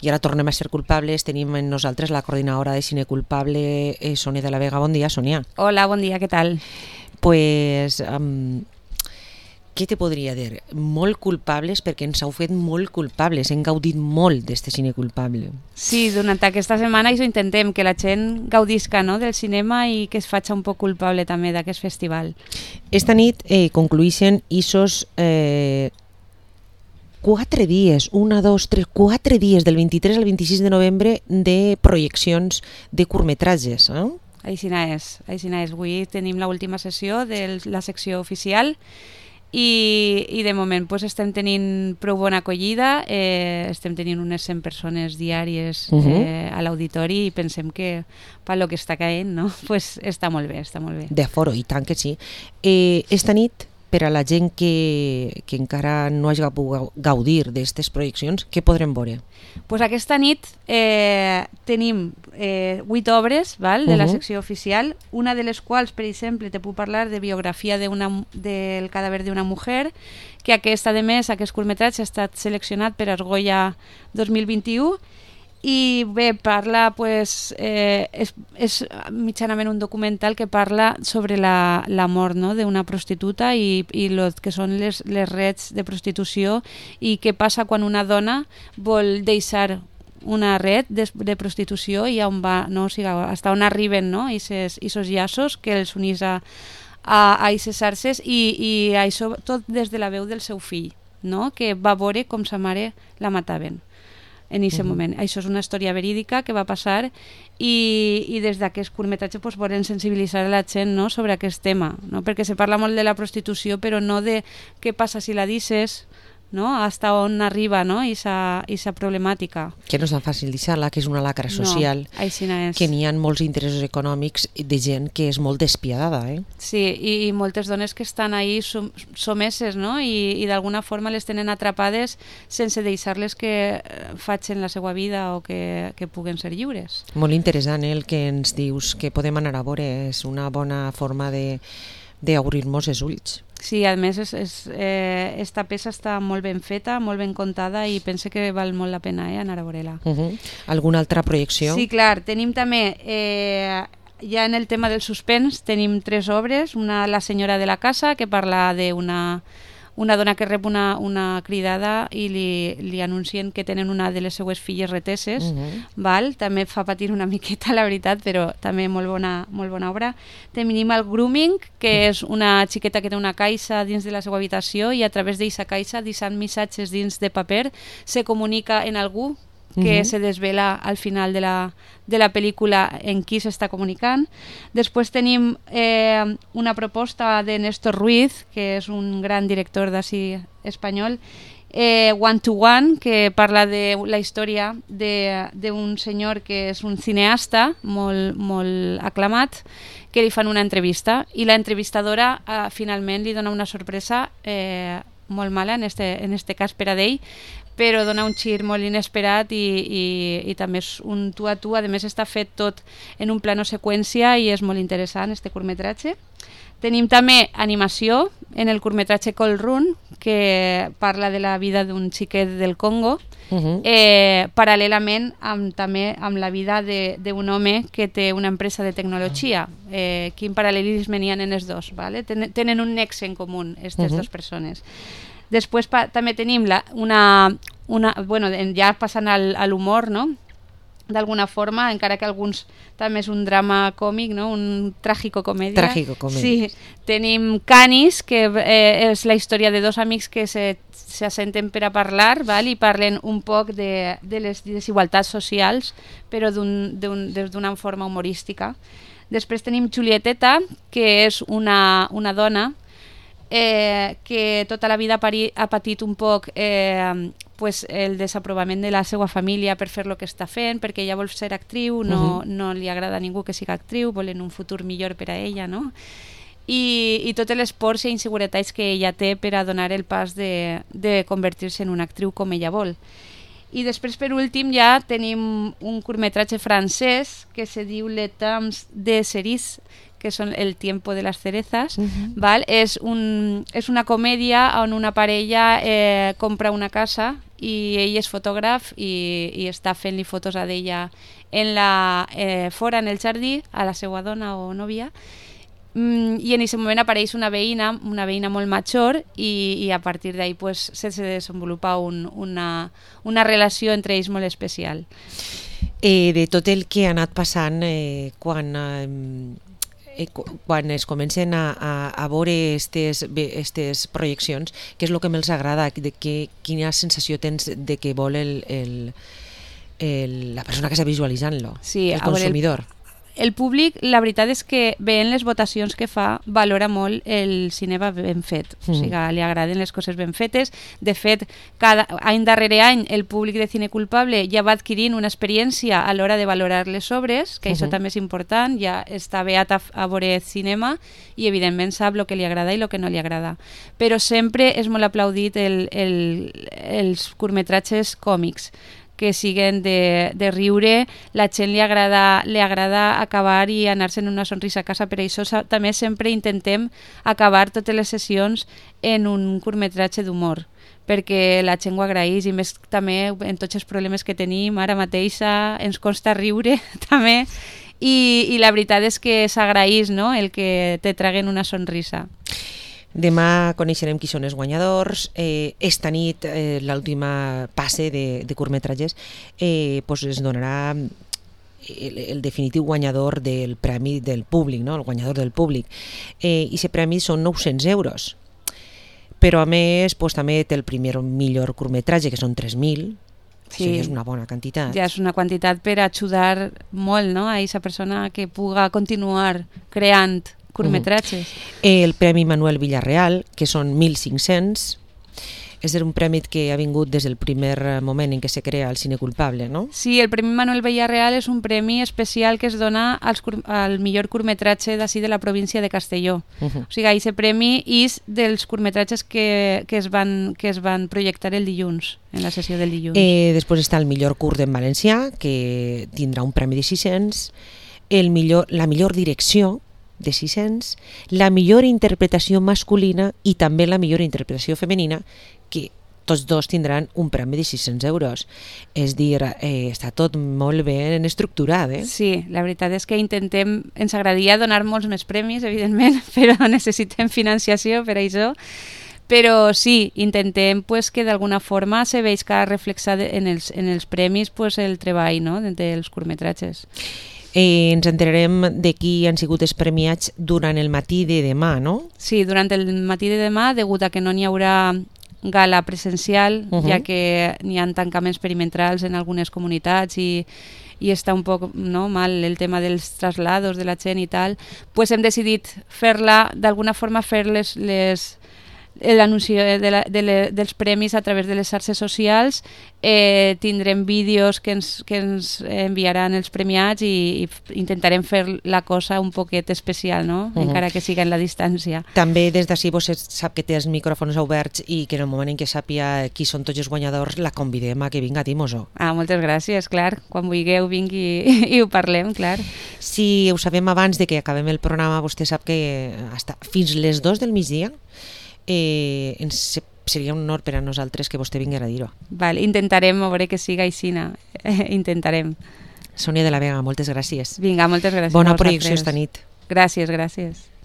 I ara tornem a ser culpables, tenim en nosaltres la coordinadora de cine culpable, Sònia de la Vega. Bon dia, Sònia. Hola, bon dia, què tal? Pues, què te podria dir? Molt culpables perquè ens heu fet molt culpables, hem gaudit molt d'este cine culpable. Sí, durant aquesta setmana això intentem, que la gent gaudisca, no?, del cinema i que es faci un poc culpable també d'aquest festival. Esta nit concluïxen ISOs 4 dies, 1, 2, 3, 4 dies, del 23 al 26 de novembre, de projeccions de curtmetratges. Aixina és. Avui tenim l'última sessió de la secció oficial i de moment pues, estem tenint prou bona acollida, estem tenint unes 100 persones diàries a l'auditori i pensem que pel que està caient, no? Pues està molt bé, està molt bé. D'aforo, i tant que sí. Esta nit, per a la gent que encara no hagi pogut gaudir d'aquestes projeccions, què podrem veure? Pues aquesta nit tenim 8 obres, val, de la secció oficial, una de les quals, per exemple, te puc parlar de biografia del cadàver d'una mujer, que aquesta, a més, aquest curtmetratge ha estat seleccionat per Argolla 2021, i bé, parla, pues, és mitjanament un documental que parla sobre la mort, no?, d'una prostituta i lo que són les rets de prostitució i què passa quan una dona vol deixar una red de prostitució i on va, no? O sigui, hasta on arriben, no?, aquests llaços que els unís a aquestes xarxes i això tot des de la veu del seu fill, no?, que va veure com sa mare la mataven en aquest moment. Això és una història verídica que va passar i des d'aquest curtmetratge pues, volem sensibilitzar a la gent, no?, sobre aquest tema, no? Perquè se parla molt de la prostitució però no de què passa si la deixes, no?, hasta on arriba, no?, aquesta problemàtica. Que no és tan fàcil deixar-la, que és una lacra social, que n'hi ha molts interessos econòmics de gent que és molt despiadada. Sí, i moltes dones que estan ahí someses, no?, i d'alguna forma les tenen atrapades sense deixar-les que facin la seva vida o que puguen ser lliures. Molt interessant el que ens dius, que podem anar a veure, és una bona forma d'obrir-nos els ulls. Sí, a més esta peça està molt ben feta, molt ben contada i pense que val molt la pena anar a veure-la. Alguna altra projecció? Sí, clar, tenim també, ja en el tema del suspens, tenim 3 obres, una La senyora de la casa, que parla d'una dona que rep una cridada i li anuncien que tenen una de les seues filles reteses, val? També fa patir una miqueta, la veritat, però també molt bona obra. Tenim el grooming, que és una xiqueta que té una caixa dins de la seva habitació i a través d'aquesta caixa, deixant missatges dins de paper, se comunica en algú que se desvela al final de la pel·lícula en qui s'està comunicant. Després tenim una proposta de Néstor Ruiz, que és un gran director d'ací espanyol, One to One, que parla de la història d'un senyor que és un cineasta molt aclamat, que li fan una entrevista i la entrevistadora finalment li dona una sorpresa molt mala, en este cas per a ell, però dona un gir molt inesperat i també és un tu a tu. A més està fet tot en un plano seqüència i és molt interessant este curtmetratge. Tenim també animació en el curtmetratge Cold Run, que parla de la vida d'un xiquet del Congo, paral·lelament també amb la vida d'un home que té una empresa de tecnologia. Quin paral·lelisme n'hi ha en els dos, ¿vale? Tenen un nexe en comú aquestes dues persones. Després també tenim ja passant a l'humor, no?, d'alguna forma, encara que alguns també és un drama còmic, no?, un tràgico-comèdia. Tràgico-comèdia. Sí, tenim Canis, que és la història de 2 amics que s'assenten per a parlar, val? I parlen un poc de les desigualtats socials, però d'una forma humorística. Després tenim Julieteta, que és una dona que tota la vida ha patit un poc el desaprovament de la seva família per fer el que està fent, perquè ella vol ser actriu, no li agrada a ningú que sigui actriu, volen un futur millor per a ella, no? I totes les pors i inseguretats que ella té per a donar el pas de convertir-se en una actriu com ella vol. I després, per últim, ja tenim un curtmetratge francès que se diu Le Temps des cerises, que són el tiempo de les cerezas. Val? És una comèdia on una parella compra una casa i ell és fotògraf i està fent-li fotos a d'ella fora en el jardí, a la seva dona o nòvia, i en aquest moment apareix una veïna molt major i a partir d'ahí pues, se desenvolupa una relació entre ells molt especial. De tot el que ha anat passant quan es comencen a veure aquestes projeccions, què és el que més agrada, quina sensació tens de que vol la persona que està visualitzant-lo, sí, el consumidor? El públic, la veritat és que veient les votacions que fa, valora molt el cinema ben fet. O sigui, li agraden les coses ben fetes. De fet, any darrere any el públic de Cine Culpable ja va adquirint una experiència a l'hora de valorar les obres, que això també és important, ja està beat a veure cinema i evidentment sap el que li agrada i el que no li agrada. Però sempre és molt aplaudit els curtmetratges còmics, que siguen de riure, la gent li agrada acabar i anar-se'n una sonrisa a casa, per això també sempre intentem acabar totes les sessions en un curtmetratge d'humor, perquè la gent ho agraeix i més també en tots els problemes que tenim ara mateixa ens costa riure també i la veritat és que s'agraeix, no?, el que te traguen una sonrisa. Demà coneixerem qui són els guanyadors. Esta nit, l'última passe de curtmetratges, es donarà el definitiu guanyador del premi del públic, no? El guanyador del públic. I aquest premi són 900 euros. Però a més també té el millor curtmetratge, que són 3.000. Sí, això ja és una bona quantitat. Ja és una quantitat per ajudar molt, no?, a aquesta persona que puga continuar creant curtmetratges. El Premi Manuel Villarreal, que són 1.500, és un premi que ha vingut des del primer moment en què se crea el Cine Culpable, no? Sí, el Premi Manuel Villarreal és un premi especial que es dona al millor curtmetratge d'ací de la província de Castelló. O sigui, aquest premi és dels curtmetratges que es van projectar el dilluns, en la sessió del dilluns. Després està el millor curt en valencià, que tindrà un premi de 600, la millor direcció, de 600, la millor interpretació masculina i també la millor interpretació femenina, que tots dos tindran un premi de 600 euros. És dir, està tot molt ben estructurat, eh? Sí, la veritat és que ens agradaria donar molts més premis, evidentment, però necessitem financiació per a això. Però sí, intentem que d'alguna forma se veig reflexat en els premis el treball, no?, dels curtmetratges. Ens enterarem de qui han sigut els premiats durant el matí de demà, no? Sí, durant el matí de demà, degut a que no n'hi haurà gala presencial, ja que n'hi ha tancaments perimetrals en algunes comunitats i està un poc mal el tema dels traslados de la gent i tal, doncs hem decidit d'alguna forma fer l'anunci dels premis a través de les xarxes socials. Tindrem vídeos que ens enviaran els premiats i intentarem fer la cosa un poquet especial, no? Encara que siga en la distància. També des d'ací vostè sap que té els micròfons oberts i que en el moment en què sàpiga qui són tots els guanyadors la convidem a que vinga a Timoso. Moltes gràcies, clar. Quan vulgueu vingui i ho parlem, clar. Si ho sabem abans de que acabem el programa, vostè sap que fins les 2 del migdia seria un honor per a nosaltres que vostè vingués a dir-ho. Intentarem veure que siga aixina. Intentarem. Sònia de la Vega, moltes gràcies. Vinga, moltes gràcies. Bona projecció esta nit. Gràcies.